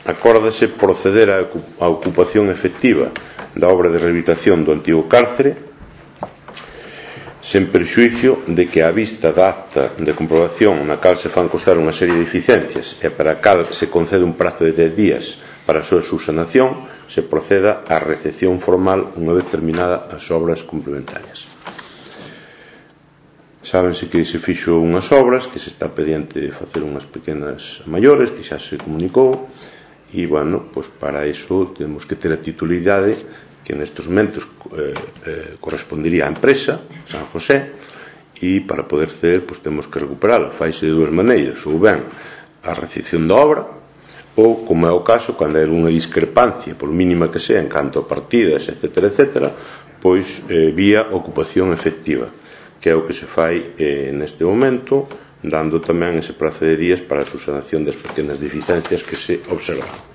acórdase proceder á ocupación efectiva da obra de rehabilitación do antigo cárcere sen perxuízo de que a vista da acta de comprobación na cal se fan constar unha serie de deficiencias e para a cal se concede un prazo de 10 días para a súa subsanación, se proceda á recepción formal unha vez terminada as obras complementarias. Sábense que se fixo unhas obras, que se está pendiente de facer unhas pequenas maiores, que xa se comunicou, e, bueno, pois para iso temos que ter a titularidade que nestes momentos correspondería á empresa, San José, e para poder ceder, pois temos que recuperala. Faise de dúas maneiras, ou ben a recepción da obra, ou, como é o caso, cando hai unha discrepancia, por mínima que sea, en canto a partidas, etc., pois vía ocupación efectiva, que é o que se fai neste momento, dando tamén ese prazo de días para a subsanación das pequenas deficiencias que se observan.